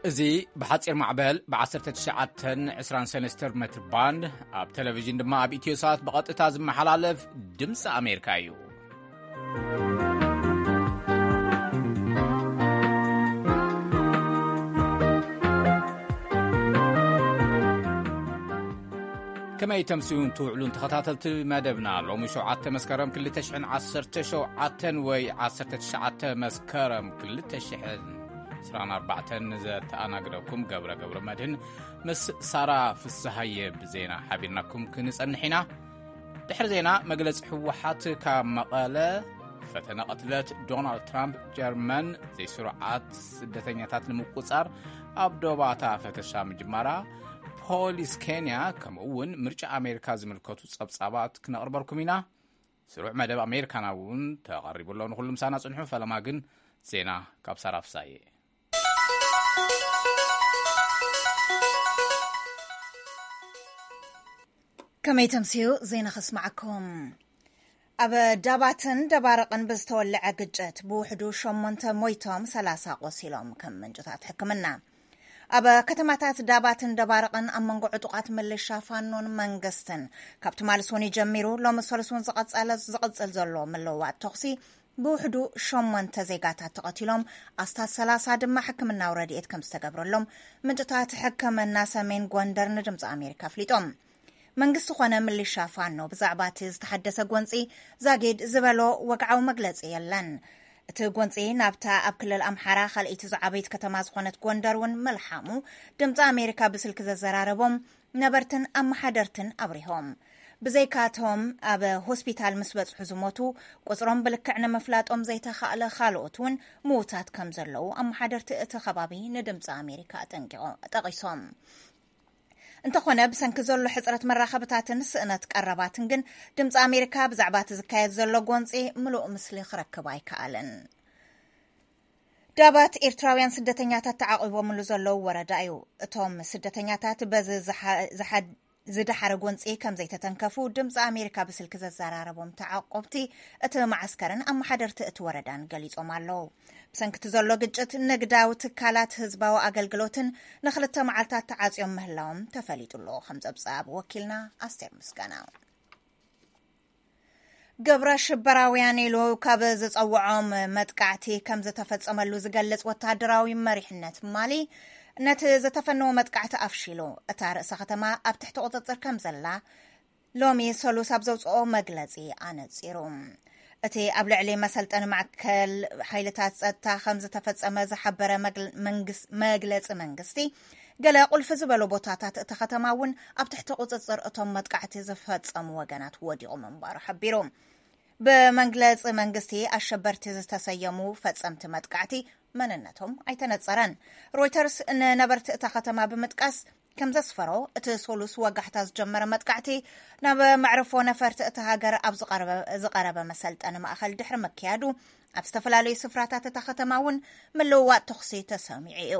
እዚ ብሓጺር ማዕበል ብ19 20 ሰንስተር ሜትር ባንድ፣ ኣብ ቴሌቪዥን ድማ ኣብ ኢትዮ ሳት ብቐጥታ ዝመሓላለፍ ድምፂ ኣሜሪካ እዩ። ከመይ ተምስዩን ትውዕሉን ተኸታተልቲ መደብና፣ ሎሚ ሸውዓተ መስከረም ክልተ ሽሕን ዓሰርተ ሸውዓተን ወይ ዓሰርተ ትሽዓተ መስከረም ክልተ ሽሕን ዕስራን ኣርባዕተን ዘተኣናግደኩም ገብረ ገብረ መድህን ምስ ሳራ ፍስሃየ ብዜና ሓቢርናኩም ክንጸንሕ ኢና። ድሕሪ ዜና መግለጺ ህወሓት ካብ መቐለ፣ ፈተነ ቅትለት ዶናልድ ትራምፕ ጀርመን ዘይስሩዓት ስደተኛታት ንምቁጻር ኣብ ዶባታ ፈተሻ ምጅማራ፣ ፖሊስ ኬንያ፣ ከምኡ እውን ምርጫ ኣሜሪካ ዝምልከቱ ጸብጻባት ክነቕርበልኩም ኢና። ስሩዕ መደብ ኣሜሪካና እውን ተቐሪቡ ኣሎ። ንኹሉ ምሳና ጽንሑ። ፈለማ ግን ዜና ካብ ሳራ ፍሳየ። ከመይ ተምስዩ ዜና ከስማዓኩም። ኣብ ዳባትን ደባርቕን ብዝተወለዐ ግጭት ብውሕዱ ሸሞንተ ሞይቶም፣ ሰላሳ ቆሲሎም፣ ከም ምንጭታት ሕክምና። ኣብ ከተማታት ዳባትን ደባርቕን ኣብ መንጎ ዕጡቓት ምልሻ ፋኖን መንግስትን ካብ ትማሊ ሰኑይ ጀሚሩ ሎሚ ሰሉስ እውን ዝቐጸለ፣ ዝቕጽል ዘሎ ምልውዋጥ ተኹሲ ብውሕዱ ሸሞንተ ዜጋታት ተቐቲሎም፣ ኣስታት ሰላሳ ድማ ሕክምናዊ ረድኤት ከም ዝተገብረሎም ምንጭታት ሕክምና ሰሜን ጎንደር ንድምፂ ኣሜሪካ ኣፍሊጦም። መንግስቲ ኮነ ምልሻ ፋኖ ብዛዕባ እቲ ዝተሓደሰ ጎንፂ ዛጊድ ዝበሎ ወግዓዊ መግለፂ የለን። እቲ ጎንፂ ናብታ ኣብ ክልል ኣምሓራ ካልኣይቲ ዝዓበየት ከተማ ዝኾነት ጎንደር እውን ምልሓሙ ድምፂ ኣሜሪካ ብስልኪ ዘዘራረቦም ነበርትን ኣመሓደርትን ኣብሪሆም። ብዘይካቶም ኣብ ሆስፒታል ምስ በፅሑ ዝሞቱ፣ ቁፅሮም ብልክዕ ንምፍላጦም ዘይተኻእለ ካልኦት እውን ምዉታት ከም ዘለዉ ኣመሓደርቲ እቲ ከባቢ ንድምፂ ኣሜሪካ ኣጠንቂቖ-፣ ጠቒሶም። እንተኾነ፣ ብሰንኪ ዘሎ ሕጽረት መራኸብታትን ስእነት ቀረባትን ግን ድምፂ ኣሜሪካ ብዛዕባ እቲ ዝካየድ ዘሎ ጎንፂ ምሉእ ምስሊ ክረክብ ኣይከኣለን። ዳባት ኤርትራውያን ስደተኛታት ተዓቒቦምሉ ዘለዉ ወረዳ እዩ። እቶም ስደተኛታት በዚ ዝሓ-፣ ዝሓ-፣ ዝደሓረ ጎንፂ ከም ዘይተተንከፉ ድምፂ ኣሜሪካ ብስልኪ ዘዘራረቦም ተዓቆብቲ እቲ መዓስከርን ኣመሓደርቲ እቲ ወረዳን ገሊጾም ኣለዉ። ብሰንኪ እቲ ዘሎ ግጭት ንግዳዊ ትካላት ህዝባዊ ኣገልግሎትን ንክልተ መዓልታት ተዓጽዮም ምህላዎም ተፈሊጡ ኣሎ። ከም ጸብጻብ ወኪልና ኣስቴር ምስጋና። ግብረ ሽበራውያን ኢሉ ካብ ዝጸውዖም መጥቃዕቲ ከም ዝተፈጸመሉ ዝገልጽ ወተሃደራዊ መሪሕነት ማሊ፣ ነቲ ዝተፈነወ መጥቃዕቲ ኣፍሺሉ፣ እታ ርእሰ ከተማ ኣብ ትሕቲ ቁጽጽር ከም ዘላ ሎሚ ሰሉስ ኣብ ዘውጽኦ መግለጺ ኣነጺሩ። እቲ ኣብ ልዕሊ መሰልጠኒ ማእከል ሓይልታት ጸጥታ ከም ዝተፈጸመ ዝሓበረ መግል-፣ መንግስ-፣ መግለጺ መንግስቲ፣ ገለ ቁልፊ ዝበሉ ቦታታት እታ ከተማ እውን ኣብ ትሕቲ ቁጽጽር እቶም መጥቃዕቲ ዝፈጸሙ ወገናት ወዲቑ ምንባሩ ሓቢሩ። ብመግለጺ መንግስቲ፣ ኣሸበርቲ ዝተሰየሙ ፈጸምቲ መጥቃዕቲ መንነቶም ኣይተነጸረን። ሮይተርስ ንነበርቲ እታ ከተማ ብምጥቃስ ከም ዘስፈሮ፣ እቲ ሰሉስ ወጋሕታ ዝጀመረ መጥቃዕቲ ናብ መዕርፎ ነፈርቲ እታ ሃገር ኣብ ዝቐረበ፣ ዝቐረበ መሰልጠኒ ማእከል ድሕሪ ምክያዱ፣ ኣብ ዝተፈላለዩ ስፍራታት እታ ከተማ እውን ምልውዋጥ ተኹሲ ተሰሚዑ እዩ።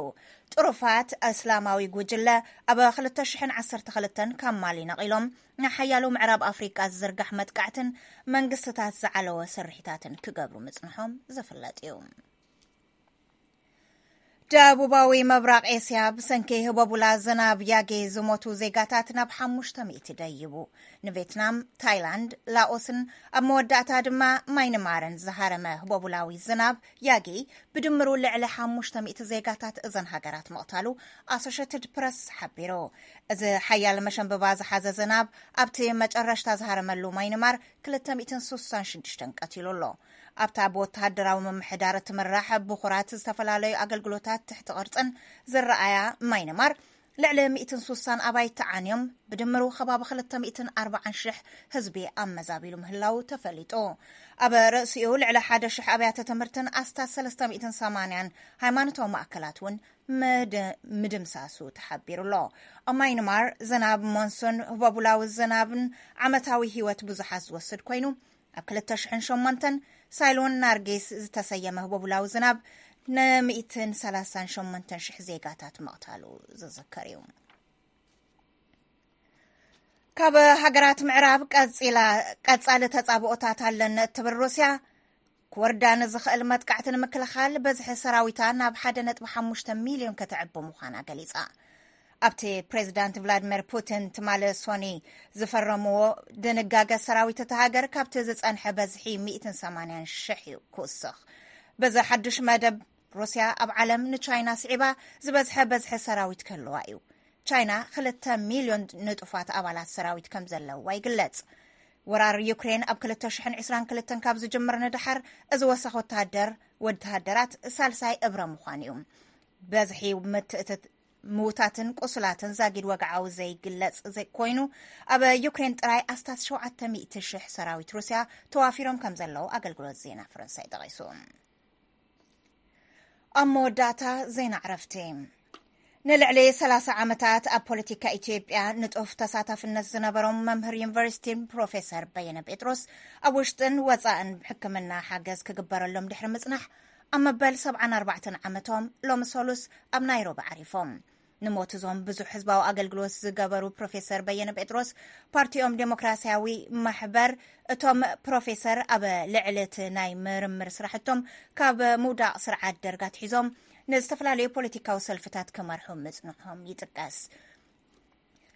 ጥሩፋት እስላማዊ ጉጅለ ኣብ ክልተ ሽሕን ዓሰርተ ክልተን ካብ ማሊ ነቒሎም ንሓያሎ ምዕራብ ኣፍሪቃ ዝዝርጋሕ መጥቃዕትን መንግስትታት ዝዓለወ ስርሒታትን ክገብሩ ምጽንሖም ዝፍለጥ እዩ። ደቡባዊ ምብራቕ ኤስያ፣ ብሰንኪ ህቦቡላ ዝናብ ያጌ ዝሞቱ ዜጋታት ናብ ሓሙሽተ ሚእቲ ደይቡ። ንቬትናም፣ ታይላንድ፣ ላኦስን ኣብ መወዳእታ ድማ ማይንማርን ዝሃረመ ህቦቡላዊ ዝናብ ያጌ ብድምሩ ልዕሊ ሓሙሽተ ሚእቲ ዜጋታት እዘን ሃገራት ምቕታሉ ኣሶሸትድ ፕረስ ሓቢሩ። እዚ ሓያል መሸንበባ ዝሓዘ ዝናብ ኣብቲ መጨረሽታ ዝሃረመሉ ማይንማር ክልተ ሚእትን ስሳን ሽዱሽተን ቀቲሉ ኣሎ። ኣብታ ብወተሃደራዊ ምምሕዳር እትምራሕ ብኹራት ዝተፈላለዩ ኣገልግሎታት ትሕቲ ቅርጽን ዝረኣያ ማይንማር፣ ልዕሊ ሚእትን ስሳን ኣባይቲ ዓንዮም፣ ብድምሩ ከባቢ ክልተ ሚእትን ኣርባዓን ሽሕ ህዝቢ ኣመዛቢሉ ምህላዉ ተፈሊጡ። ኣብ ርእሲኡ፣ ልዕሊ ሓደ ሽሕ ኣብያተ ትምህርትን ኣስታት ሰለስተ ሚእትን ሰማንያን ሃይማኖታዊ ማእከላት እውን ምድ-፣ ምድምሳሱ ተሓቢሩ ኣሎ። ኣብ ማይንማር፣ ዝናብ ሞንሱን ህቦቡላዊ ዝናብን ዓመታዊ ህይወት ብዙሓት ዝወስድ ኮይኑ፣ ኣብ ክልተ ሽሕን ሸሞንተን ሳይሎን ናርጊስ ዝተሰየመ ህቦቡላዊ ዝናብ ንሚእትን ሰላሳን ሸሞንተን ሽሕ ዜጋታት ምቕታሉ ዝዝከር እዩ። ካብ ሃገራት ምዕራብ ቀጺላ፣ ቀጻሊ ተጻብኦታት ኣለኒ እትብል ሩስያ፣ ክወርዳ ንዝኽእል መጥቃዕቲ ንምክልኻል በዝሒ ሰራዊታ ናብ ሓደ ነጥቢ ሓሙሽተ ሚልዮን ከተዕቢ ምዃና ገሊጻ። ኣብቲ ፕሬዚዳንት ቭላድሚር ፑቲን ትማሊ ሶኒ ዝፈረምዎ ድንጋገ፣ ሰራዊት እታ ሃገር ካብቲ ዝጸንሐ በዝሒ ሚእትን ሰማንያን ሽሕ እዩ ክውስኽ። በዚ ሓድሽ መደብ፣ ሩስያ ኣብ ዓለም ንቻይና ስዒባ ዝበዝሐ በዝሒ ሰራዊት ክህልዋ እዩ። ቻይና ክልተ ሚልዮን ንጡፋት ኣባላት ሰራዊት ከም ዘለዋ ይግለጽ። ወራር ዩክሬን ኣብ ክልተ ሽሕን ዕስራን ክልተን ካብ ዝጅምር ንድሓር፣ እዚ ወሰኽ ወተሃደር ወተሃደራት ሳልሳይ እብረ ምዃን እዩ። በዝሒ ምትእትት ምውታትን ቁስላትን ዛጊድ ወግዓዊ ዘይግለጽ ዘይ-፣ ኮይኑ፣ ኣብ ዩክሬን ጥራይ ኣስታት ሸውዓተ ሚእቲ ሽሕ ሰራዊት ሩስያ ተዋፊሮም ከም ዘለዉ ኣገልግሎት ዜና ፈረንሳይ ጠቒሱ። ኣብ መወዳእታ፣ ዜና ዕረፍቲ። ንልዕሊ ሰላሳ ዓመታት ኣብ ፖለቲካ ኢትዮጵያ ንጡፍ ተሳታፍነት ዝነበሮም መምህር ዩኒቨርሲቲን ፕሮፌሰር በየነ ጴጥሮስ፣ ኣብ ውሽጥን ወጻእን ሕክምና ሓገዝ ክግበረሎም ድሕሪ ምጽናሕ፣ ኣብ መበል ሰብዓን ኣርባዕተን ዓመቶም ሎሚ ሰሉስ ኣብ ናይሮቢ ዓሪፎም። ንሞት እዞም ብዙሕ ህዝባዊ ኣገልግሎት ዝገበሩ ፕሮፌሰር በየነ ጴጥሮስ፣ ፓርቲኦም ዴሞክራሲያዊ ማሕበር፣ እቶም ፕሮፌሰር ኣብ ልዕሊ እቲ ናይ ምርምር ስራሕቶም ካብ ምውዳቕ ስርዓት ደርግ ኣትሒዞም ንዝተፈላለዩ ፖለቲካዊ ሰልፍታት ክመርሑ ምጽንሖም ይጥቀስ።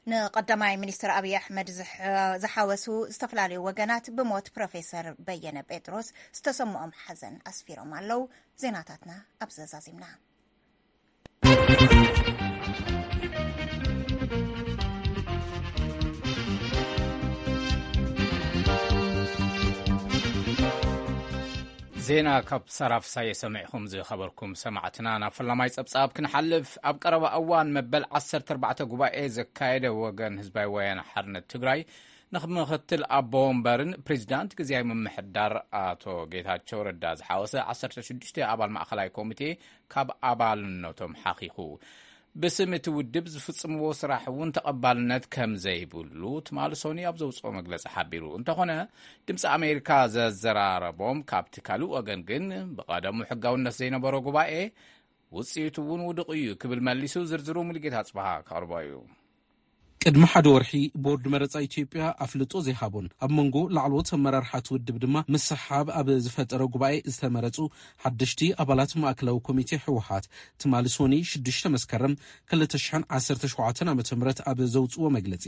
ንቀዳማይ ሚኒስትር ኣብይ ኣሕመድ ዝሐ-፣ ዝሓወሱ ዝተፈላለዩ ወገናት ብሞት ፕሮፌሰር በየነ ጴጥሮስ ዝተሰምኦም ሓዘን ኣስፊሮም ኣለዉ። ዜናታትና ኣብ ዘዛዚምና። ዜና ካብ ሳራ ፍሳየ ሰሚዕኹም ዝኸበርኩም ሰማዕትና። ናብ ፈላማይ ጸብጻብ ክንሓልፍ፣ ኣብ ቀረባ እዋን መበል ዓሰርተ ኣርባዕተ ጉባኤ ዘካየደ ወገን ህዝባዊ ወያነ ሓርነት ትግራይ፣ ንምክትል ኣቦ ወንበርን ፕሬዚዳንት ግዜያዊ ምምሕዳር ኣቶ ጌታቸው ረዳ ዝሓወሰ ዓሰርተ ሽዱሽተ ኣባል ማእኸላይ ኮሚቴ ካብ ኣባልነቶም ሓኺኹ። ብስም እቲ ውድብ ዝፍጽምዎ ስራሕ እውን ተቐባልነት ከም ዘይብሉ ትማሊ ሶኒ ኣብ ዘውፅኦ መግለፂ ሓቢሩ። እንተኾነ፣ ድምፂ ኣሜሪካ ዘዘራረቦም ካብቲ ካልእ ወገን ግን፣ ብቐደሙ ሕጋውነት ዘይነበሮ ጉባኤ ውፅኢቱ እውን ውዱቕ እዩ ክብል መሊሱ። ዝርዝሩ ሙሉጌታ ኣፅበሃ ከቕርቦ እዩ። ቅድሚ ሓደ ወርሒ፣ ቦርድ መረፃ ኢትዮጵያ ኣፍልጦ ዘይሃቦን ኣብ መንጎ ላዕለዎት ኣመራርሓ እቲ ውድብ ድማ ምስሕሓብ ኣብ ዝፈጠረ ጉባኤ ዝተመረፁ ሓደሽቲ ኣባላት ማእከላዊ ኮሚቴ ህወሓት፣ ትማሊ ሶኒ ሽዱሽተ መስከረም ክልተ ሽሕን ዓሰርተ ሸውዓተን ዓመተ ምህረት ኣብ ዘውፅዎ መግለፂ፣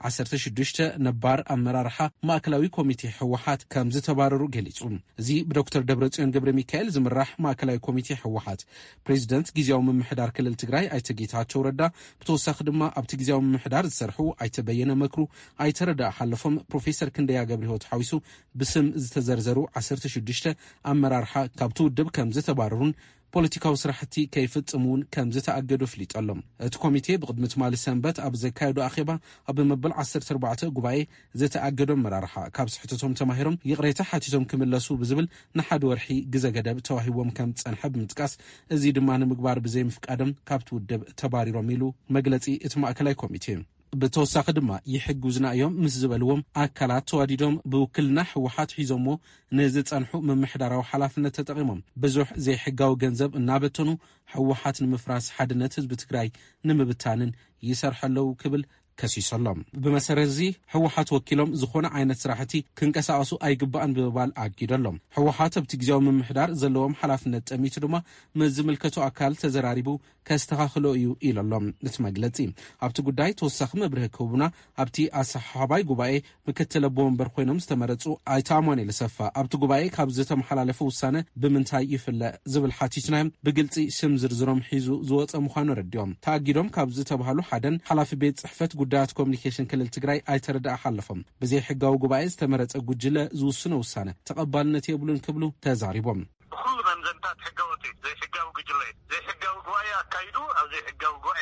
ዓሰርተ ሽዱሽተ ነባር ኣመራርሓ ማእከላዊ ኮሚቴ ህወሓት ከም ዝተባረሩ ገሊፁ። እዚ ብዶክተር ደብረጽዮን ገብረ ሚካኤል ዝምራሕ ማእከላዊ ኮሚቴ ህወሓት፣ ፕሬዚደንት ግዜያዊ ምምሕዳር ክልል ትግራይ ኣይተ ጌታቸው ረዳ፣ ብተወሳኺ ድማ ኣብቲ ግዜያዊ ምምሕዳር ዝሰርሑ ኣይተ በየነ መክሩ፣ ኣይተ ረዳኢ ሓለፎም፣ ፕሮፌሰር ክንደያ ገብረህይወት ሓዊሱ ብስም ዝተዘርዘሩ ዓሰርተ ሽዱሽተ ኣመራርሓ ካብቲ ውድብ ከም ዝተባረሩን ፖለቲካዊ ስራሕቲ ከይፍጽሙ እውን ከም ዝተኣገዱ ኣፍሊጡ ኣሎ። እቲ ኮሚቴ ብቕድሚ ትማሊ ሰንበት ኣብ ዘካየዶ ኣኼባ፣ ኣብ መበል ዓሰርተ ኣርባዕተ ጉባኤ ዝተኣገዱ ኣመራርሓ ካብ ስሕተቶም ተማሂሮም ይቕሬታ ሓቲቶም ክምለሱ ብዝብል ንሓደ ወርሒ ግዘ ገደብ ተዋሂቦም ከም ዝጸንሐ ብምጥቃስ፣ እዚ ድማ ንምግባር ብዘይምፍቃዶም ካብቲ ውድብ ተባሪሮም ኢሉ መግለጺ እቲ ማእከላይ ኮሚቴ። ብተወሳኺ ድማ፣ ይሕግዙና እዮም ምስ ዝበልዎም ኣካላት ተዋዲዶም ብውክልና ህወሓት ሒዞምዎ ንዝጸንሑ ምምሕዳራዊ ሓላፍነት ተጠቒሞም ብዙሕ ዘይሕጋዊ ገንዘብ እናበተኑ፣ ህወሓት ንምፍራስ፣ ሓድነት ህዝቢ ትግራይ ንምብታንን ይሰርሑ ኣለዉ ክብል ከሲሱ ኣሎ። ብመሰረት እዚ፣ ህወሓት ወኪሎም ዝኾነ ዓይነት ስራሕቲ ክንቀሳቐሱ ኣይግባእን ብምባል ኣጊዱ ኣሎ። ህወሓት ኣብቲ ግዜያዊ ምምሕዳር ዘለዎም ሓላፍነት ጠሚቱ ድማ ምስ ዝምልከቶ ኣካል ተዘራሪቡ ከስተኻኽሎ እዩ ኢሉ ኣሎ እቲ መግለጺ። ኣብቲ ጉዳይ ተወሳኺ መብርሂ ክህቡና ኣብቲ ኣሰሓሓባይ ጉባኤ ምክትል ኣቦ ወንበር ኮይኖም ዝተመረጹ ኣይተ ኣማኑኤል ኣሰፋ፣ ኣብቲ ጉባኤ ካብ ዝተመሓላለፈ ውሳነ ብምንታይ ይፍለ ዝብል ሓቲትናዮም፣ ብግልጺ ስም ዝርዝሮም ሒዙ ዝወጸ ምዃኑ ኣረዲኦም። ተኣጊዶም ካብ ዝተባህሉ ሓደን ሓላፊ ቤት ጽሕፈት ጉዳያት ኮሚኒኬሽን ክልል ትግራይ ኣይተ ረዳኢ ሓለፎም፣ ብዘይሕጋዊ ጉባኤ ዝተመረጸ ጉጅለ ዝውስኖ ውሳነ ተቐባልነት የብሉን ክብሉ ተዛሪቦም። ብኹሉ መምዘንታት ሕገወጥ እዩ። ዘይሕጋዊ ጉጅለ እዩ። ዘይሕጋዊ ጉባኤ ኣካይዱ፣ ኣብ ዘይሕጋዊ ጉባኤ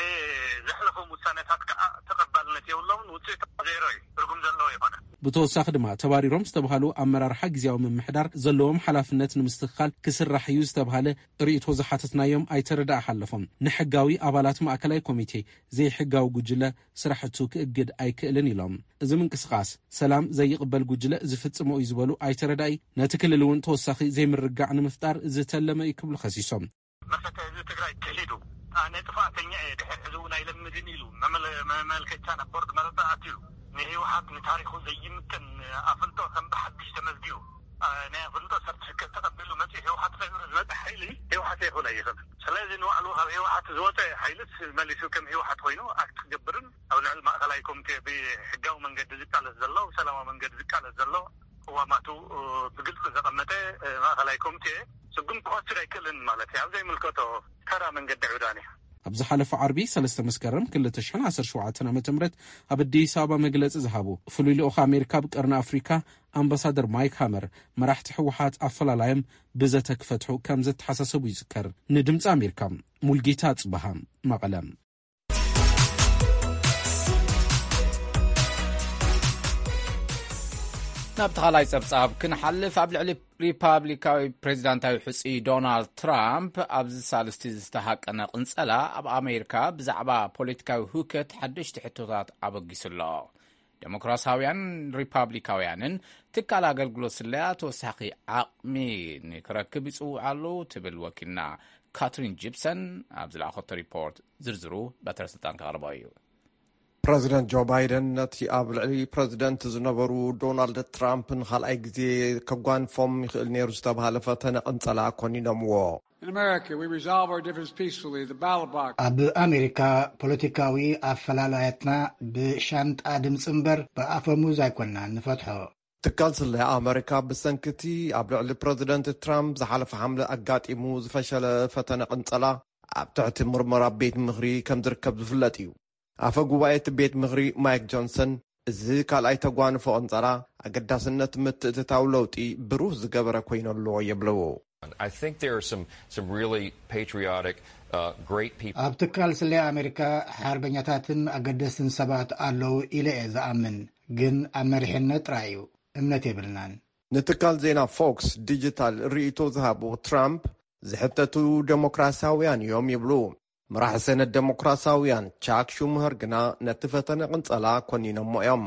ዘሕለፎም ውሳነታት ከዓ ተቐባልነት የብሎምን። ውፅኢቱ ዜሮ እዩ። ትርጉም ዘለዎ ይኾነ። ብተወሳኺ ድማ፣ ተባሪሮም ዝተባሃሉ ኣመራርሓ ግዜያዊ ምምሕዳር ዘለዎም ሓላፍነት ንምስትኽኻል ክስራሕ እዩ ዝተባሃለ ርእይቶ ዝሓተትናዮም ኣይተ ረዳኢ ሓለፎም፣ ንሕጋዊ ኣባላት ማእከላይ ኮሚቴ ዘይሕጋዊ ጉጅለ ስራሕቱ ክእግድ ኣይክእልን ኢሎም። እዚ ምንቅስቓስ ሰላም ዘይቕበል ጉጅለ ዝፍጽሞ እዩ ዝበሉ ኣይተ ረዳኢ፣ ነቲ ክልል እውን ተወሳኺ ዘይምርግጋዕ ንምፍጣር ዝተለመ እዩ ክብሉ ከሲሶም። መሰተ ህዝቢ ትግራይ ክሒዱ፣ ኣነ ጥፋተኛ እየ፣ ድሕሪ ሕዚ እውን ኣይለምድን ኢሉ መመለ-፣ መመልከቻ ናብ ቦርድ መረፃ ኣትዩ፣ ንህወሓት ንታሪኹ ዘይምጥን ኣፍልጦ ከም ብሓድሽ ተመዝጊቡ፣ ናይ ኣፍልጦ ሰርቲፊኬት ተቐቢሉ መፂኡ ህወሓት ሰቢሩ ዝመፀ ሓይሊ ህወሓት ኣይኮነ ይኽእል። ስለዚ ንባዕሉ ካብ ህወሓት ዝወፀ ሓይልስ መሊሱ ከም ህወሓት ኮይኑ ኣክት ክገብርን ኣብ ልዕሊ ማእኸላይ ኮሚቴ ብሕጋዊ መንገዲ ዝቃለስ ዘሎ፣ ብሰላማዊ መንገዲ ዝቃለስ ዘሎ ቅዋማቱ ብግልፂ ዘቐመጠ ማእኸላይ ኮሚቴ ስጉምቲ ክወስድ ኣይክእልን ማለት እዩ። ኣብ ዘይምልከቶ ተራ መንገዲ ዕብዳን እዩ። ኣብ ዝሓለፈ ዓርቢ ሰለስተ መስከረም ክልተ ሽሕን ዓሰርተ ሸውዓተን ዓመተ ምህረት ኣብ ኣዲስ ኣበባ መግለጺ ዝሃቡ ፍሉይ ልኡኽ ኣሜሪካ ኣብ ቀርኒ ኣፍሪካ ኣምባሳደር ማይክ ሃመር፣ መራሕቲ ህወሓት ኣፈላላዮም ብዘተ ክፈትሑ ከም ዘተሓሳሰቡ ይዝከር። ንድምፂ ኣሜሪካ ሙልጌታ ኣጽበሃ፣ መቐለ። ናብ ተኻላይ ጸብጻብ ክንሓልፍ፣ ኣብ ልዕሊ ሪፓብሊካዊ ፕሬዚዳንታዊ ሕጹይ ዶናልድ ትራምፕ ኣብዚ ሳልስቲ ዝተሃቀነ ቅንጸላ ኣብ ኣሜሪካ ብዛዕባ ፖለቲካዊ ህውከት ሓደሽቲ ሕቶታት ኣበጊሱ ኣሎ። ዴሞክራሲያውያን ሪፓብሊካውያንን ትካል ኣገልግሎት ስለያ ተወሳኺ ዓቕሚ ንክረክብ ይጽውዑ ኣለዉ ትብል ወኪልና ካትሪን ጂፕሰን ኣብ ዝለኣኸቶ ሪፖርት። ዝርዝሩ በትረ ስልጣን ከቕርቦ እዩ። ፕረዚደንት ጆ ባይደን ነቲ ኣብ ልዕሊ ፕረዚደንት ዝነበሩ ዶናልድ ትራምፕ ንኻልኣይ ግዜ ከጓንፎም ይኽእል ነይሩ ዝተባሃለ ፈተነ ቅንጸላ ኮኒኖምዎ። In America, we resolve our differences peacefully. The ballot box. ኣብ ኣሜሪካ ፖለቲካዊ ኣፈላላያትና ብሻንጣ ድምፂ እምበር ብኣፈሙዝ ኣይኮንናን ንፈትሖ። ትካል ስለያ ኣመሪካ ብሰንኪ እቲ ኣብ ልዕሊ ፕረዚደንት ትራምፕ ዝሓለፈ ሓምለ ኣጋጢሙ ዝፈሸለ ፈተነ ቅንጸላ ኣብ ትሕቲ ምርመራ ቤት ምኽሪ ከም ዝርከብ ዝፍለጥ እዩ። ኣፈ ጉባኤ እቲ ቤት ምኽሪ ማይክ ጆንሰን፣ እዚ ካልኣይ ተጓንፎ ቅንጸላ ኣገዳስነት ምትእትታው ለውጢ ብሩህ ዝገበረ ኮይኑ ኣሎ ይብሉ። I think there are some, some really patriotic, uh, great people. ኣብ ትካል ስለያ ኣሜሪካ ሓርበኛታትን ኣገደስትን ሰባት ኣለዉ ኢለ እየ ዝኣምን፣ ግን ኣብ መሪሕነት ጥራይ እዩ፣ እምነት የብልናን። ንትካል ዜና ፎክስ ዲጂታል ርእይቶ ዝሃቡ ትራምፕ፣ ዝሕተቱ ዴሞክራሲያውያን እዮም ይብሉ። መራሒ ሰነት ዴሞክራሲያውያን ቻክ ሹምሀር ግና ነቲ ፈተነ ቅንጸላ ኮኒኖሞ እዮም።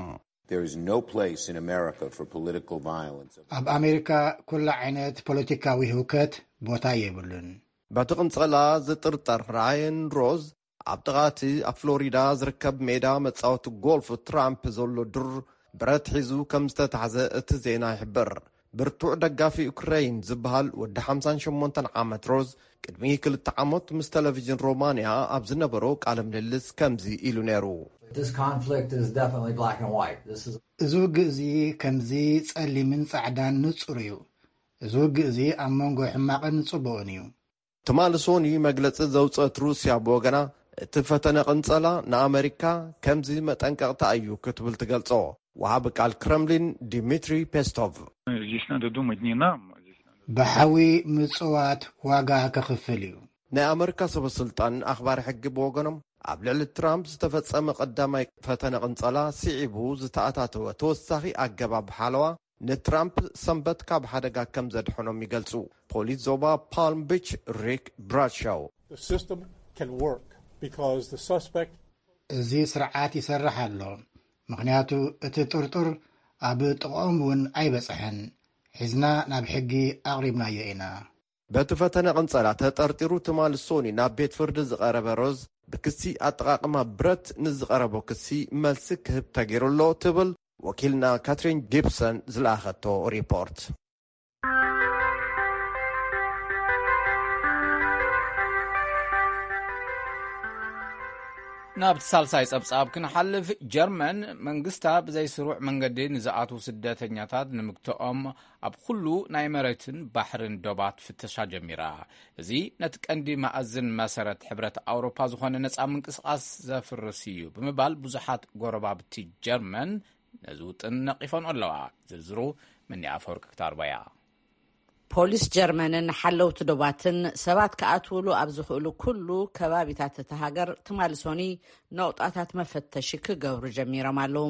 There is no place in America for political violence. ኣብ ኣሜሪካ ኩሉ ዓይነት ፖለቲካዊ ህውከት ቦታ የብሉን። በቲ ቅንጸላ ዝጥርጠር ራየን ሮዝ ኣብ ጥቓ እቲ ኣብ ፍሎሪዳ ዝርከብ ሜዳ መጻወቲ ጎልፍ ትራምፕ ዘሎ ዱር ብረት ሒዙ ከም ዝተታሕዘ እቲ ዜና ይሕብር። ብርቱዕ ደጋፊ ዩክረይን ዝበሃል ወዲ ሓምሳን ሸሞንተን ዓመት ሮዝ ቅድሚ ክልተ ዓመት ምስ ቴሌቪዥን ሮማንያ ኣብ ዝነበሮ ቃለ ምልልስ ከምዚ ኢሉ ነይሩ። This conflict is definitely black and white. This is እዚ ውግእ እዚ ከምዚ ጸሊምን ጻዕዳን ንጹር እዩ። እዚ ውግእ እዚ ኣብ መንጎ ሕማቕን ጽቡቕን እዩ። ትማሊ ሶኒ መግለጺ ዘውጸት ሩስያ ብወገና፣ እቲ ፈተነ ቅንጸላ ንኣመሪካ ከምዚ መጠንቀቕታ እዩ ክትብል ትገልጾ። ወሃቢ ቃል ክረምሊን ዲሚትሪ ፔስቶቭ። Здесь надо думать не нам, здесь надо... ብሓዊ ምጽዋት ዋጋ ከኽፍል እዩ። ናይ ኣመሪካ ሰበ ስልጣን ኣኽባሪ ሕጊ ብወገኖም፣ ኣብ ልዕሊ ትራምፕ ዝተፈጸመ ቀዳማይ ፈተነ ቅንጸላ ስዒቡ ዝተኣታተወ ተወሳኺ ኣገባብ ሓለዋ ንትራምፕ ሰንበት ካብ ሓደጋ ከም ዘድሐኖም ይገልጹ። ፖሊስ ዞባ ፓልም ቢች ሪክ ብራድሻው። The system can work because the suspect እዚ ስርዓት ይሰርሕ ኣሎ፣ ምኽንያቱ እቲ ጥርጡር ኣብ ጥቕኦም እውን ኣይበጽሐን። ሒዝና ናብ ሕጊ ኣቕሪብናዮ ኢና። በቲ ፈተነ ቅንጸላ ተጠርጢሩ ትማሊ ሶኒ ናብ ቤት ፍርዲ ዝቐረበ ሮዝ፣ ብክሲ ኣጠቓቕማ ብረት ንዝቐረቦ ክሲ መልሲ ክህብ ተገይሩ ኣሎ ትብል ወኪልና ካትሪን ጊብሰን ዝለኣኸቶ ሪፖርት። ናብቲ ሳልሳይ ጸብጻብ ክንሓልፍ፣ ጀርመን መንግስታ ብዘይስሩዕ መንገዲ ንዝኣትዉ ስደተኛታት ንምግትኦም ኣብ ኩሉ ናይ መሬትን ባሕርን ዶባት ፍተሻ ጀሚራ። እዚ ነቲ ቀንዲ መኣዝን መሰረት ሕብረት ኣውሮፓ ዝኾነ ነጻ ምንቅስቓስ ዘፍርስ እዩ ብምባል ብዙሓት ጎረባብቲ ጀርመን ነዚ ውጥን ነቒፈንኦ ኣለዋ። ዝርዝሩ ምኒ ኣፈወርቂ ክታርባያ። ፖሊስ ጀርመንን ሓለውቲ ዶባትን ሰባት ክኣትውሉ ኣብ ዝኽእሉ ኩሉ ከባቢታት እታ ሃገር ትማሊ ሶኒ ነቑጣታት መፈተሺ ክገብሩ ጀሚሮም ኣለዉ።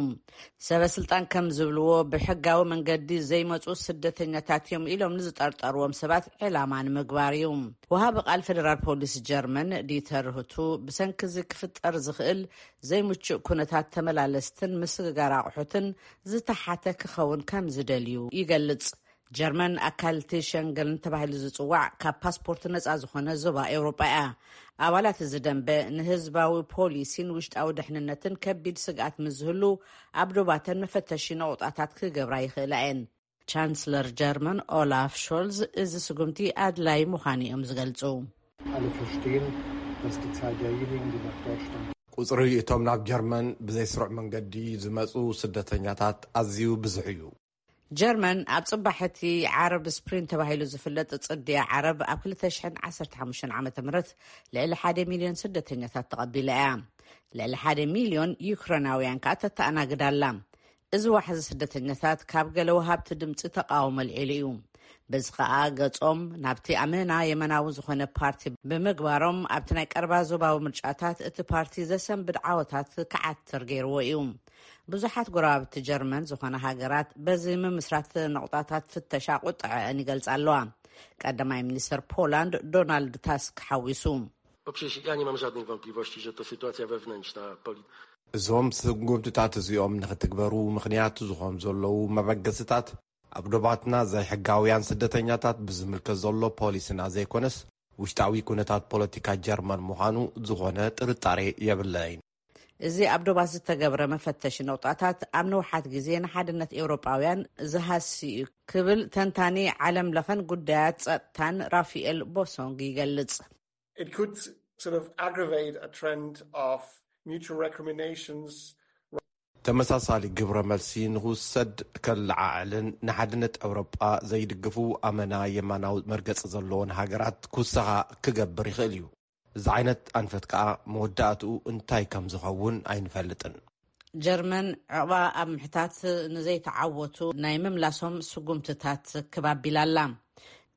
ሰበ ስልጣን ከም ዝብልዎ፣ ብሕጋዊ መንገዲ ዘይመጹ ስደተኛታት እዮም ኢሎም ንዝጠርጠርዎም ሰባት ዕላማ ንምግባር እዩ። ወሃቢ ቃል ፌደራል ፖሊስ ጀርመን ዲተር ህቱ፣ ብሰንኪ እዚ ክፍጠር ዝኽእል ዘይምቹእ ኩነታት ተመላለስትን ምስግጋር ኣቑሑትን ዝተሓተ ክኸውን ከም ዝደልዩ ይገልጽ። ጀርመን ኣካል እቲ ሸንገን ተባሂሉ ዝጽዋዕ ካብ ፓስፖርት ነጻ ዝኾነ ዞባ ኤውሮጳ እያ። ኣባላት እዚ ደንበ ንህዝባዊ ፖሊሲን ውሽጣዊ ድሕንነትን ከቢድ ስግኣት ምስ ዝህሉ፣ ኣብ ዶባተን መፈተሺ ነቑጣታት ክገብራ ይኽእላ እየን። ቻንስለር ጀርመን ኦላፍ ሾልዝ እዚ ስጉምቲ ኣድላይ ምዃኑ እዮም ዝገልጹ። Alle verstehen, dass die Zahl derjenigen, die nach Deutschland ቁፅሪ እቶም ናብ ጀርመን ብዘይ ስሩዕ መንገዲ ዝመፁ ስደተኛታት ኣዝዩ ብዙሕ እዩ። ጀርመን ኣብ ጽባሕቲ ዓረብ ስፕሪን ተባሂሉ ዝፍለጥ ጽድያ ዓረብ ኣብ ክልተ ሽሕን ዓሰርተ ሓሙሽተን ዓመተ ምህረት ልዕሊ ሓደ ሚልዮን ስደተኛታት ተቐቢላ እያ። ልዕሊ ሓደ ሚልዮን ዩክሬናውያን ከኣ ተተኣናግድ ኣላ። እዚ ዋሕዚ ስደተኛታት ካብ ገለ ወሃብቲ ድምጺ ተቃውሞ ኣልዒሉ እዩ። በዚ ከኣ ገጾም ናብቲ ኣመና የመናዊ ዝኾነ ፓርቲ ብምግባሮም ኣብቲ ናይ ቀረባ ዞባዊ ምርጫታት እቲ ፓርቲ ዘሰንብድ ዓወታት ክዓትር ገይርዎ እዩ። ብዙሓት ጎረባብቲ ጀርመን ዝኾና ሃገራት በዚ ምምስራት ነቑጣታት ፍተሻ ቁጥዐአን ይገልጻ ኣለዋ። ቀዳማይ ሚኒስተር ፖላንድ ዶናልድ ታስክ ሓዊሱ። Po pierwsze, ja nie mam żadnych wątpliwości, że to sytuacja wewnętrzna. እዞም ስጉምትታት እዚኦም ንኽትግበሩ ምኽንያት ዝኾም ዘለዉ መበገስታት ኣብ ዶባትና ዘይሕጋውያን ስደተኛታት ብዝምልከት ዘሎ ፖሊስና ዘይኮነስ ውሽጣዊ ኩነታት ፖለቲካ ጀርመን ምዃኑ ዝኾነ ጥርጣሬ የብለይን። እዚ ኣብ ዶባት ዝተገብረ መፈተሺ ነቑጣታት ኣብ ንውሓት ግዜ ንሓድነት ኤውሮጳውያን ዝሃሲ እዩ ክብል ተንታኒ ዓለም ለኸን ጉዳያት ጸጥታን ራፊኤል ቦሶንግ ይገልጽ። It could sort of aggravate a trend of mutual recriminations. ተመሳሳሊ ግብረ መልሲ ንኽውሰድ ከለዓዕልን ንሓድነት ኤውሮጳ ዘይድግፉ ኣመና የማናዊ መርገጺ ዘለዎን ሃገራት ክውሰኻ ክገብር ይኽእል እዩ። እዚ ዓይነት ኣንፈት ከኣ መወዳእትኡ እንታይ ከም ዝኸውን ኣይንፈልጥን። ጀርመን ዕቕባ ኣብ ምሕታት ንዘይተዓወቱ ናይ ምምላሶም ስጉምትታት ክባቢላ ኣላ።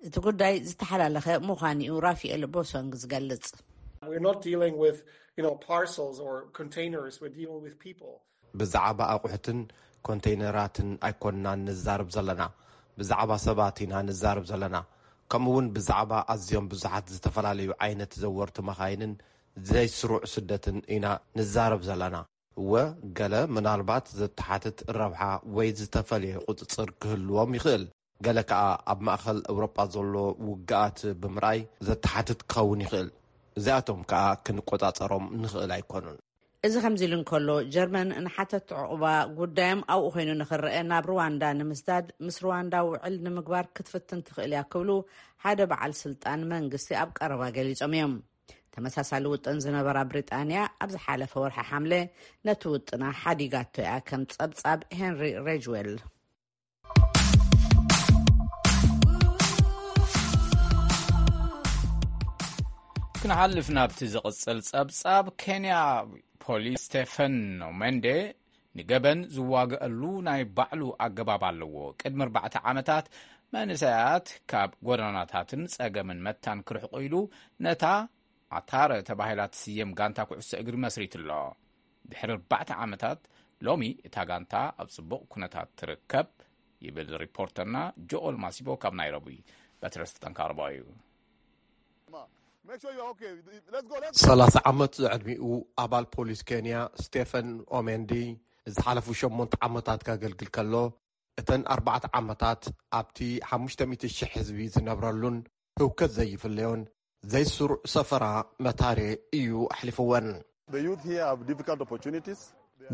እቲ ጉዳይ ዝተሓላለኸ ምዃኑ እዩ ራፊኤል ቦሶንግ ዝገልጽ። We're not dealing with, you know, parcels or containers. We're dealing with people. ብዛዕባ ኣቑሑትን ኮንተይነራትን ኣይኮንናን ንዛረብ ዘለና፣ ብዛዕባ ሰባት ኢና ንዛረብ ዘለና። ከምኡ እውን ብዛዕባ ኣዝዮም ብዙሓት ዝተፈላለዩ ዓይነት ዘወርቲ መኻይንን ዘይስሩዕ ስደትን ኢና ንዛረብ ዘለና። እወ፣ ገለ ምናልባት ዘተሓትት ረብሓ ወይ ዝተፈልየ ቁጽጽር ክህልዎም ይኽእል። ገለ ከኣ ኣብ ማእከል ኤውሮጳ ዘሎ ውግኣት ብምርኣይ ዘተሓትት ክኸውን ይኽእል። እዚኣቶም ከኣ ክንቆጻጸሮም ንኽእል ኣይኮኑን። እዚ ከምዚ ኢሉ እንከሎ፣ ጀርመን ንሓተቲ ዕቑባ ጉዳዮም ኣብኡ ኮይኑ ንኽረአ ናብ ሩዋንዳ ንምስዳድ ምስ ሩዋንዳ ውዕል ንምግባር ክትፍትን ትኽእል እያ ክብሉ ሓደ በዓል ስልጣን መንግስቲ ኣብ ቀረባ ገሊጾም እዮም። ተመሳሳሊ ውጥን ዝነበራ ብሪጣንያ ኣብ ዝሓለፈ ወርሒ ሓምለ ነቲ ውጥና ሓዲጋቶ እያ፣ ከም ጸብጻብ ሄንሪ ሬጅዌል። ክንሓልፍ ናብቲ ዝቕጽል ጸብጻብ፣ ኬንያ ፖሊስ ስቴፈን ኦሜንዴ ንገበን ዝዋግአሉ ናይ ባዕሉ ኣገባብ ኣለዎ። ቅድሚ ኣርባዕተ ዓመታት መንእሰያት ካብ ጎደናታትን ጸገምን መታን ክርሕቁ ኢሉ ነታ ኣታረ ተባሂላ ትስየም ጋንታ ኩዕሶ እግሪ መስሪቱ ኣሎ። ድሕሪ ኣርባዕተ ዓመታት ሎሚ እታ ጋንታ ኣብ ጽቡቕ ኩነታት ትርከብ ይብል ሪፖርተርና ጆኦል ማሲቦ ካብ ናይሮቢ። በትረ ስልጣን ካርባ እዩ። ሰላሳ ዓመት ዕድሚኡ ኣባል ፖሊስ ኬንያ ስቴፈን ኦሜንዲ ንዝሓለፉ ሸሞንተ ዓመታት ከገልግል ከሎ፣ እተን ኣርባዕተ ዓመታት ኣብቲ ሓሙሽተ ሚእቲ ሽሕ ህዝቢ ዝነብረሉን ህውከት ዘይፍለዮን ዘይስሩዕ ሰፈራ መታሬ እዩ ኣሕሊፍወን። The youth here have difficult opportunities.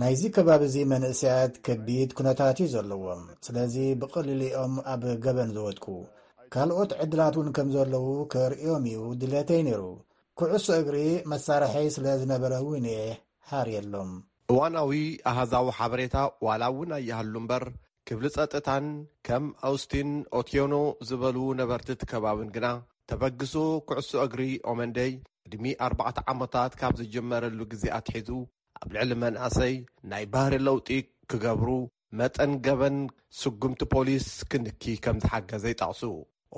ናይዚ ከባቢ እዚ መንእሰያት ከቢድ ኩነታት እዩ ዘለዎም። ስለዚ ብቐሊሉ እዮም ኣብ ገበን ዝወድቁ። ካልኦት ዕድላት እውን ከም ዘለዉ ከርእዮም እዩ ድሌተይ ነይሩ። ኩዕሶ እግሪ መሳርሐይ ስለ ዝነበረ እውን እየ ሓርየሎም። እዋናዊ ኣሃዛዊ ሓበሬታ ዋላ እውን ኣይሃሉ እምበር፣ ክፍሊ ጸጥታን ከም ኣውስቲን ኦቲዮኖ ዝበሉ ነበርቲ እቲ ከባብን ግና፣ ተበግሶ ኩዕሶ እግሪ ኦመንደይ ዕድሚ ኣርባዕተ ዓመታት ካብ ዝጀመረሉ ግዜ ኣትሒዙ ኣብ ልዕሊ መናእሰይ ናይ ባህሪ ለውጢ ክገብሩ፣ መጠን ገበን ስጉምቲ ፖሊስ ክንኪ ከም ዝሓገዘ ይጠቕሱ።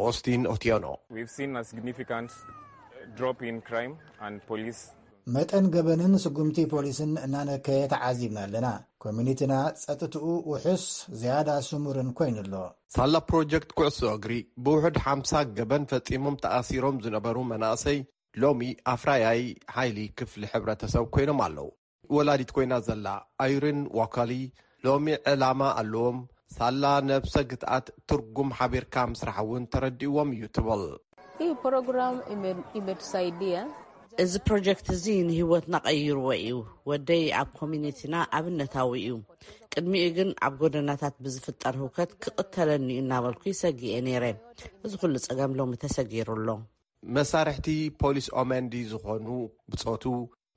ኦስቲን ኦቲዮኖ። We've seen a significant drop in crime and police. መጠን ገበንን ስጉምቲ ፖሊስን እናነከየ ተዓዚብና ኣለና። ኮሚኒቲና ጸጥትኡ ውሑስ ዝያዳ ስሙርን ኮይኑ ኣሎ። ሳላ ፕሮጀክት ኩዕሶ እግሪ ብውሑድ ሓምሳ ገበን ፈጺሞም ተኣሲሮም ዝነበሩ መናእሰይ ሎሚ ኣፍራያይ ሓይሊ ክፍሊ ሕብረተሰብ ኮይኖም ኣለዉ። ወላዲት ኮይና ዘላ ኣይሪን ዋካሊ ሎሚ ዕላማ ኣለዎም። ሳላ ነብሰ ግትኣት ትርጉም ሓቢርካ ምስራሕ እውን ተረዲእዎም እዩ ትብል። Hii program ime- imetusaidia. እዚ ፕሮጀክት እዚ ንህይወትና ቀይርዎ እዩ። ወደይ ኣብ ኮሚኒቲና ኣብነታዊ እዩ። ቅድሚኡ ግን ኣብ ጎደናታት ብዝፍጠር ህውከት ክቕተለኒ እዩ እናበልኩ ይሰጊኤ ነይረ። እዚ ኩሉ ጸገም ሎሚ ተሰጊሩ ኣሎ። መሳርሕቲ ፖሊስ ኦመንዲ ዝኾኑ ብጾቱ፣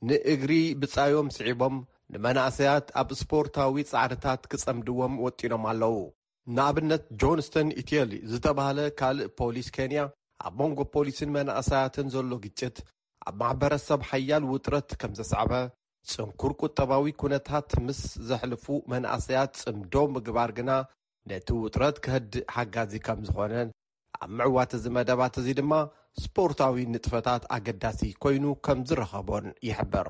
ንእግሪ ብጻዮም ስዒቦም ንመናእሰያት ኣብ ስፖርታዊ ጻዕርታት ክጸምድዎም ወጢኖም ኣለዉ። ንኣብነት፣ ጆንስተን ኢትየሊ ዝተባህለ ካልእ ፖሊስ ኬንያ፣ ኣብ መንጎ ፖሊስን መናእሰያትን ዘሎ ግጭት ኣብ ማሕበረሰብ ሓያል ውጥረት ከም ዘስዓበ፣ ጽንኩር ቁጠባዊ ኩነታት ምስ ዘሕልፉ መናእሰያት ጽምዶ ምግባር ግና ነቲ ውጥረት ከህድእ ሓጋዚ ከም ዝኾነን፣ ኣብ ምዕዋት እዚ መደባት እዚ ድማ ስፖርታዊ ንጥፈታት ኣገዳሲ ኮይኑ ከም ዝረኸቦን ይሕብር።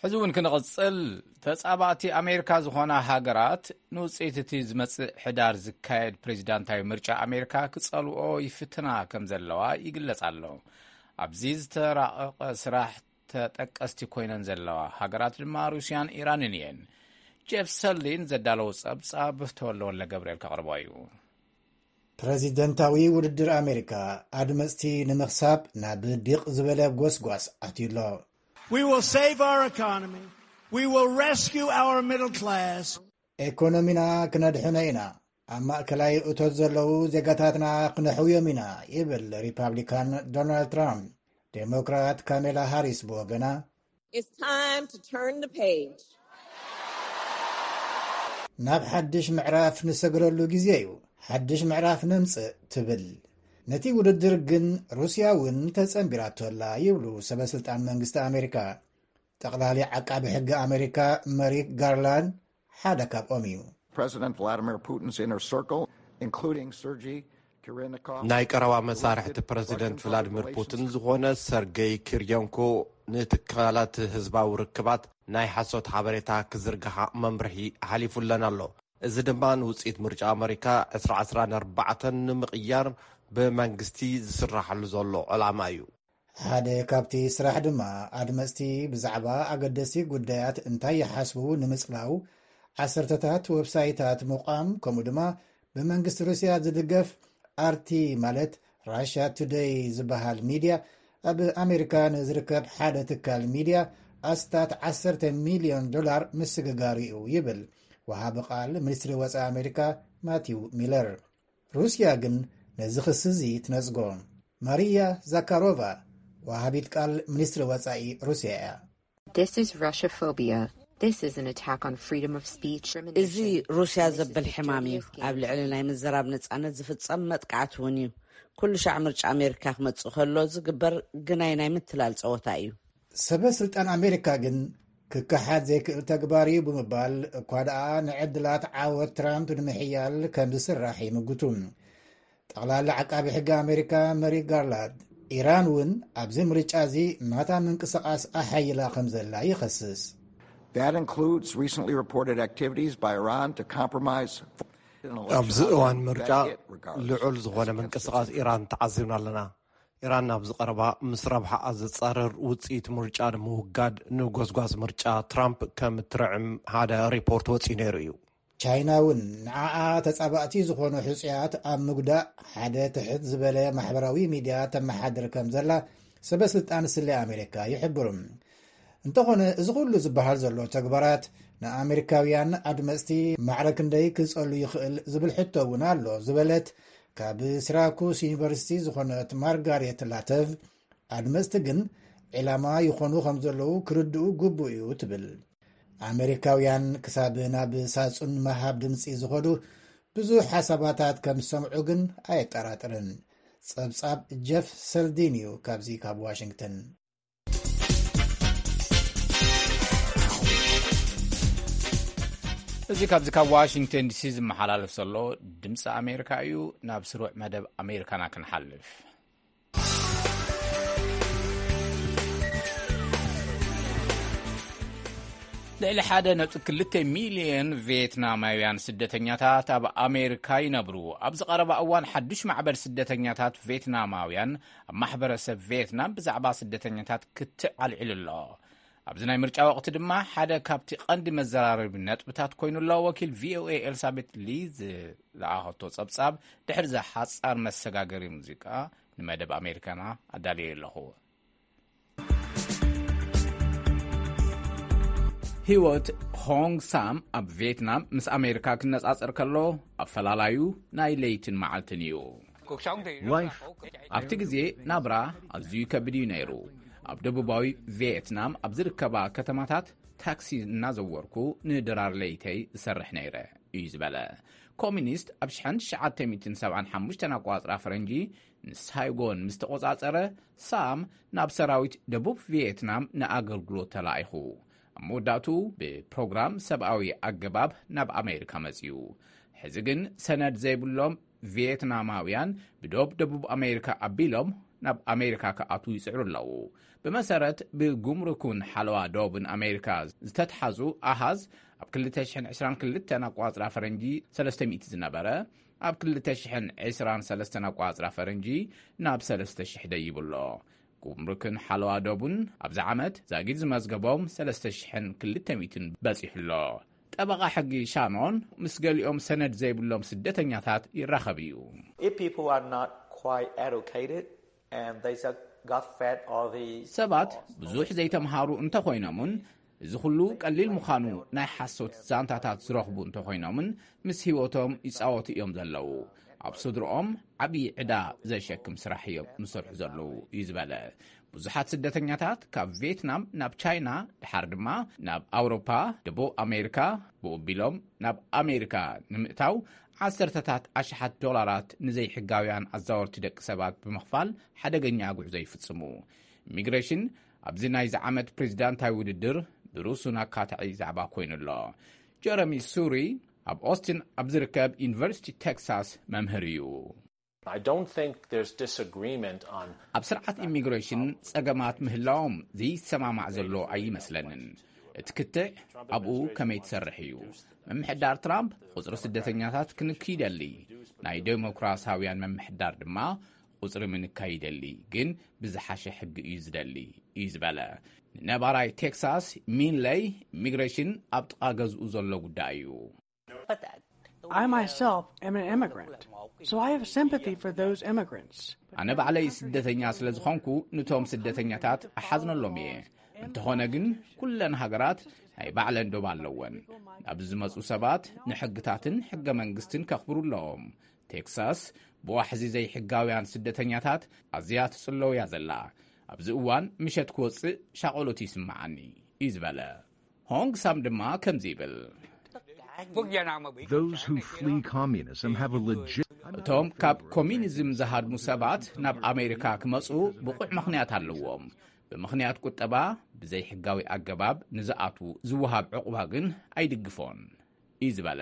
ሕዚ እውን ክንቕጽል፣ ተጻባእቲ ኣሜሪካ ዝኾና ሃገራት ንውጽኢት እቲ ዝመጽእ ሕዳር ዝካየድ ፕሬዚዳንታዊ ምርጫ ኣሜሪካ ክጸልኦ ይፍትና ከም ዘለዋ ይግለጽ ኣሎ። ኣብዚ ዝተራቐቐ ስራሕ ተጠቀስቲ ኮይነን ዘለዋ ሃገራት ድማ ሩስያን ኢራንን እየን። ጄፍ ሰሊን ዘዳለዎ ጸብጻብ ተወልደ ወልደ ገብርኤል ከቕርቦ እዩ። ፕረዚደንታዊ ውድድር ኣሜሪካ ኣድመፅቲ ንምኽሳብ ናብ ዲቕ ዝበለ ጎስጓስ ኣትዩ ኣሎ። We will save our economy. We will rescue our middle class. ኤኮኖሚና ክነድሕኖ ኢና። ኣብ ማእከላይ እቶት ዘለዉ ዜጋታትና ክነሕውዮም ኢና፣ ይብል ሪፓብሊካን ዶናልድ ትራምፕ። ዴሞክራት ካሜላ ሃሪስ ብወገና፣ It's time to turn the page. ናብ ሓድሽ ምዕራፍ ንሰግረሉ ግዜ እዩ፣ ሓድሽ ምዕራፍ ነምጽእ፣ ትብል። ነቲ ውድድር ግን ሩስያ እውን ተጸንቢራቶ ኣላ፣ ይብሉ ሰበ ስልጣን መንግስቲ ኣሜሪካ። ጠቕላሊ ዓቃቢ ሕጊ ኣሜሪካ መሪክ ጋርላንድ ሓደ ካብኦም እዩ። President Vladimir Putin's inner circle, including Sergei Kirennikov, ናይ ቀረባ መሳርሕቲ ፕረዚደንት ቭላድሚር ፑቲን ዝኾነ ሰርጌይ ኪርዮንኮ፣ ንትካላት ህዝባዊ ርክባት ናይ ሓሶት ሓበሬታ ክዝርግሓ መምርሒ ሓሊፉለን ኣሎ። እዚ ድማ ንውፅኢት ምርጫ ኣመሪካ ዕስራ ዕስራን ኣርባዕተን ንምቕያር ብመንግስቲ ዝስራሓሉ ዘሎ ዕላማ እዩ። ሓደ ካብቲ ስራሕ ድማ ኣድመፅቲ ብዛዕባ ኣገደስቲ ጉዳያት እንታይ ይሓስቡ ንምፅላው ዓሰርተታት ዌብሳይታት ምቋም፣ ከምኡ ድማ ብመንግስቲ ሩስያ ዝድገፍ ኣርቲ፣ ማለት ራሽያ ቱደይ ዝበሃል ሚድያ፣ ኣብ ኣሜሪካ ንዝርከብ ሓደ ትካል ሚድያ ኣስታት ዓሰርተ ሚልዮን ዶላር ምስግጋሩ እዩ፣ ይብል ወሃቢ ቃል ሚኒስትሪ ወፃኢ ኣሜሪካ ማቲው ሚለር። ሩስያ ግን ነዚ ክሲ እዚ ትነጽጎ። ማሪያ ዛካሮቫ፣ ወሃቢት ቃል ሚኒስትሪ ወጻኢ ሩስያ እያ። This is Russophobia. This is an attack on freedom of speech. እዚ ሩስያ ዘብል ሕማም እዩ። ኣብ ልዕሊ ናይ ምዝራብ ነጻነት ዝፍጸም መጥቃዕቲ እውን እዩ። ኩሉ ሻዕ ምርጫ ኣሜሪካ ክመጽእ ከሎ ዝግበር ግናይ ናይ ምትላል ጸወታ እዩ። ሰበ ስልጣን ኣሜሪካ ግን ክከሓድ ዘይክእል ተግባር እዩ ብምባል፣ እኳ ደኣ ንዕድላት ዓወት ትራምፕ ንምሕያል ከም ዝስራሕ ይምጉቱ። ጠቕላሊ ዓቃቢ ሕጊ ኣሜሪካ መሪክ ጋርላንድ፣ ኢራን እውን ኣብዚ ምርጫ እዚ ናታ ምንቅስቓስ ኣሓይላ ከም ዘላ ይኸስስ። That includes recently reported activities by Iran to compromise. ኣብዚ እዋን ምርጫ ልዑል ዝኾነ ምንቅስቓስ ኢራን ተዓዚብና ኣለና። ኢራን ኣብዚ ቀረባ ምስ ረብሓኣ ዝጻረር ውጽኢት ምርጫ ንምውጋድ ንጎስጓስ ምርጫ ትራምፕ ከም እትርዕም ሓደ ሪፖርት ወጺኡ ነይሩ እዩ። ቻይና እውን ንዓኣ ተጻባእቲ ዝኾኑ ሕጹያት ኣብ ምጉዳእ ሓደ ትሕት ዝበለ ማሕበራዊ ሚድያ ተመሓድር ከም ዘላ ሰበ ስልጣን ስለ ኣሜሪካ ይሕብሩ። እንተኾነ፣ እዚ ኩሉ ዝበሃል ዘሎ ተግባራት ንኣሜሪካውያን ኣድመፅቲ ማዕረ ክንደይ ክጸሉ ይኽእል ዝብል ሕቶ እውን ኣሎ ዝበለት ካብ ሲራኩስ ዩኒቨርሲቲ ዝኾነት ማርጋሬት ላተቭ፣ ኣድመፅቲ ግን ዒላማ ይኾኑ ከም ዘለዉ ክርድኡ ግቡእ እዩ ትብል። ኣሜሪካውያን ክሳብ ናብ ሳጹን ምሃብ ድምፂ ዝኸዱ ብዙሕ ሓሳባታት ከም ዝሰምዑ ግን ኣየጠራጥርን። ጸብጻብ ጀፍ ሰልዲን እዩ ካብዚ ካብ ዋሽንግተን። እዚ ካብዚ ካብ ዋሽንግተን ዲሲ ዝመሓላለፍ ዘሎ ድምፂ ኣሜሪካ እዩ። ናብ ስሩዕ መደብ ኣሜሪካና ክንሓልፍ። ልዕሊ ሓደ ነጥቢ ክልተ ሚልዮን ቪየትናማውያን ስደተኛታት ኣብ ኣሜሪካ ይነብሩ። ኣብዚ ቀረባ እዋን ሓዱሽ ማዕበል ስደተኛታት ቪየትናማውያን ኣብ ማሕበረሰብ ቪየትናም ብዛዕባ ስደተኛታት ክትዕ ኣልዒሉ ኣሎ። ኣብዚ ናይ ምርጫ ወቕቲ ድማ ሓደ ካብቲ ቀንዲ መዘራረቢ ነጥብታት ኮይኑ ኣሎ። ወኪል ቪ ኦ ኤ ኤልሳቤት ሊ ዝለኣኸቶ ጸብጻብ ድሕሪ እዛ ሓጻር መሰጋገሪ ሙዚቃ ንመደብ ኣሜሪካና ኣዳልየ ኣለኹ። ህይወት ሆንግ ሳም ኣብ ቪየትናም ምስ ኣሜሪካ ክነጻጸር ከሎ ኣፈላላዩ ናይ ለይትን መዓልትን እዩ። Life ኣብቲ ግዜ ናብራ ኣዝዩ ከቢድ እዩ ነይሩ። ኣብ ደቡባዊ ቪየትናም ኣብ ዝርከባ ከተማታት ታክሲ እናዘወርኩ ንድራር ለይተይ ዝሰርሕ ነይረ እዩ ዝበለ። ኮሚኒስት ኣብ ሽሕን ትሽዓተ ሚእትን ሰብዓን ሓሙሽተን ኣቋጽራ ፈረንጂ ንሳይጎን ምስ ተቖጻጸረ፣ ሳም ናብ ሰራዊት ደቡብ ቪየትናም ንኣገልግሎት ተላኢኹ። ኣብ መወዳእቱ ብፕሮግራም ሰብኣዊ ኣገባብ ናብ ኣሜሪካ መጺኡ። ሕዚ ግን ሰነድ ዘይብሎም ቪየትናማውያን ብዶብ ደቡብ ኣሜሪካ ኣቢሎም ናብ ኣሜሪካ ክኣትዉ ይጽዕሩ ኣለዉ። ብመሰረት ብጉምሩክን ሓለዋ ዶብን ኣሜሪካ ዝተትሓዙ ኣሃዝ፣ ኣብ ክልተ ሽሕን ዕስራን ክልተን ኣቋጽራ ፈረንጂ ሰለስተ ሚእቲ ዝነበረ፣ ኣብ ክልተ ሽሕን ዕስራን ሰለስተን ኣቋጽራ ፈረንጂ ናብ ሰለስተ ሽሕ ደይቡ ኣሎ። ጉምሩክን ሓለዋ ዶቡን ኣብዚ ዓመት ዛጊድ ዝመዝገቦም ሰለስተ ሽሕን ክልተ ሚእትን በጺሑ ኣሎ። ጠበቓ ሕጊ ሻኖን ምስ ገሊኦም ሰነድ ዘይብሎም ስደተኛታት ይራኸብ እዩ። If people are not quite educated and they just got fed all the ሰባት ብዙሕ ዘይተምሃሩ እንተኾይኖምን እዚ ኩሉ ቀሊል ምዃኑ ናይ ሓሶት ዛንታታት ዝረኽቡ እንተኾይኖምን ምስ ህይወቶም ይጻወቱ እዮም ዘለዉ። ኣብ ስድርኦም ዓብዪ ዕዳ ዘሸክም ስራሕ እዮም ዝሰርሑ ዘለዉ እዩ ዝበለ። ብዙሓት ስደተኛታት ካብ ቪየትናም ናብ ቻይና፣ ድሓር ድማ ናብ ኣውሮፓ፣ ደቡብ ኣሜሪካ፣ ብኡቢሎም ናብ ኣሜሪካ ንምእታው ዓሰርተታት ኣሽሓት ዶላራት ንዘይሕጋውያን ኣዛወርቲ ደቂ ሰባት ብምኽፋል ሓደገኛ ጉዕዞ ይፍጽሙ። ኢሚግሬሽን ኣብዚ ናይዚ ዓመት ፕሬዚዳንታዊ ውድድር ብሩሱን ኣካታዒ ዛዕባ ኮይኑ ኣሎ። ጀረሚ ሱሪ ኣብ ኦስትን ኣብ ዝርከብ ዩኒቨርሲቲ ቴክሳስ መምህር እዩ። I don't think there's disagreement on ኣብ ስርዓት ኢሚግሬሽን ጸገማት ምህላዎም ዘይሰማማዕ ዘሎ ኣይመስለንን። እቲ ክትዕ ኣብኡ ከመይ ትሰርሕ እዩ። ምምሕዳር ትራምፕ ቁጽሪ ስደተኛታት ክንክ ይደሊ፣ ናይ ዴሞክራሲያውያን ምምሕዳር ድማ ቁጽሪ ምንካይ ይደሊ፣ ግን ብዝሓሸ ሕጊ እዩ ዝደሊ እዩ ዝበለ። ንነባራይ ቴክሳስ ሚንለይ ኢሚግሬሽን ኣብ ጥቓ ገዝኡ ዘሎ ጉዳይ እዩ። I myself am an immigrant, so I have sympathy for those immigrants. ኣነ ባዕለይ ስደተኛ ስለ ዝኾንኩ ንቶም ስደተኛታት እሓዝነሎም እየ። እንተኾነ ግን ኩለን ሃገራት ናይ ባዕለን ዶብ ኣለወን። ናብ ዝመጹ ሰባት ንሕግታትን ሕገ መንግስትን ከኽብሩ ኣለዎም። ቴክሳስ ብዋሕዚ ዘይሕጋውያን ስደተኛታት ኣዝያ ትጽለው እያ ዘላ። ኣብዚ እዋን ምሸት ክወጽእ ሻቐሎት ይስምዓኒ እዩ ዝበለ። ሆንግ ሳም ድማ ከምዚ ይብል። Those who flee communism have a legit እቶም ካብ ኮሚኒዝም ዝሃድሙ ሰባት ናብ ኣሜሪካ ክመጹ ብቑዕ ምኽንያት ኣለዎም። ብምኽንያት ቁጠባ ብዘይሕጋዊ ኣገባብ ንዝኣትዉ ዝወሃብ ዕቑባ ግን ኣይድግፎን እዩ ዝበለ።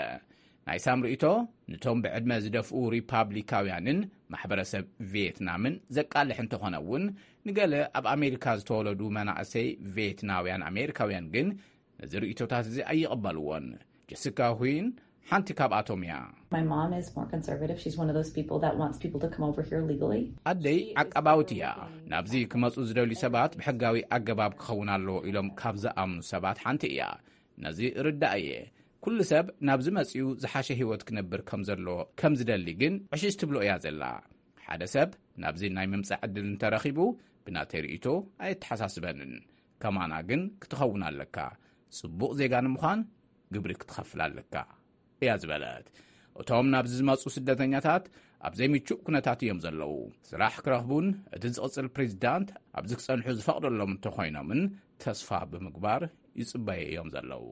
ናይ ሳም ርእይቶ ንቶም ብዕድመ ዝደፍኡ ሪፓብሊካውያንን ማሕበረሰብ ቪየትናምን ዘቃልሕ እንተኾነ እውን፣ ንገለ ኣብ ኣሜሪካ ዝተወለዱ መናእሰይ ቪየትናውያን ኣሜሪካውያን ግን ነዚ ርእይቶታት እዚ ኣይቕበልዎን። ጀሲካ ሁይን ሓንቲ ካብኣቶም እያ። My mom is more conservative. She's one of those people that wants people to come over here legally. ኣደይ ዓቃባዊት እያ። ናብዚ ክመጹ ዝደልዩ ሰባት ብሕጋዊ ኣገባብ ክኸውን ኣለዎ ኢሎም ካብ ዝኣምኑ ሰባት ሓንቲ እያ። ነዚ ርዳእ እየ። ኩሉ ሰብ ናብዚ መጺኡ ዝሓሸ ህይወት ክነብር ከም ዘሎ ከም ዝደሊ ግን ዕሽሽ ትብሎ እያ ዘላ። ሓደ ሰብ ናብዚ ናይ ምምጻእ ዕድል እንተረኺቡ ብናተይ ርእይቶ ኣየተሓሳስበንን። ከማና ግን ክትኸውን ኣለካ። ጽቡቕ ዜጋ ንምዃን ግብሪ ክትኸፍል ኣለካ እያ ዝበለት። እቶም ናብዚ ዝመጹ ስደተኛታት ኣብ ዘይምቹእ ኩነታት እዮም ዘለዉ። ስራሕ ክረኽቡን እቲ ዝቕጽል ፕሬዚዳንት ኣብዚ ክጸንሑ ዝፈቕደሎም እንተኾይኖምን ተስፋ ብምግባር ይጽበዩ እዮም ዘለዉ።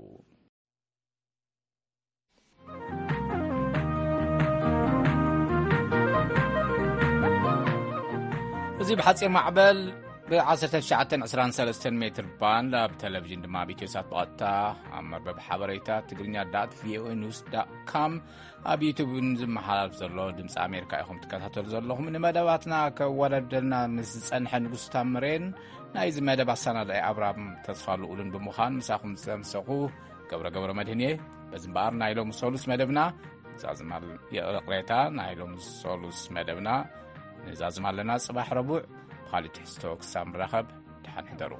እዚ ብሓጺር ማዕበል ብ1923 ሜትር ባንድ ኣብ ቴሌቪዥን ድማ ኣብ ኢትዮሳት ብቐጥታ ኣብ መርበብ ሓበሬታ ትግርኛ ዳት ቪኦኤ ኒውስ ዳት ካም ኣብ ዩቱብ ዝመሓላልፍ ዘሎ ድምፂ ኣሜሪካ ኢኹም ትከታተሉ ዘለኹም። ንመደባትና ከወዳድደልና ምስ ዝጸንሐ ንጉስ ታምሬን ናይዚ መደብ ኣሰናዳኢ ኣብራም ተስፋ ልኡልን ብምዃን ምሳኹም ዝጸንሰኹ ገብረ ገብረ መድህን እየ። በዚ እምበኣር ናይ ሎሚ ሰሉስ መደብና ዛዝማል ይቕሬታ፣ ናይ ሎሚ ሰሉስ መደብና ንዛዝማ ኣለና። ጽባሕ ረቡዕ ብኻሊእ ትሕዝቶ ክሳብ ንራኸብ ደሓን ሕደሩ።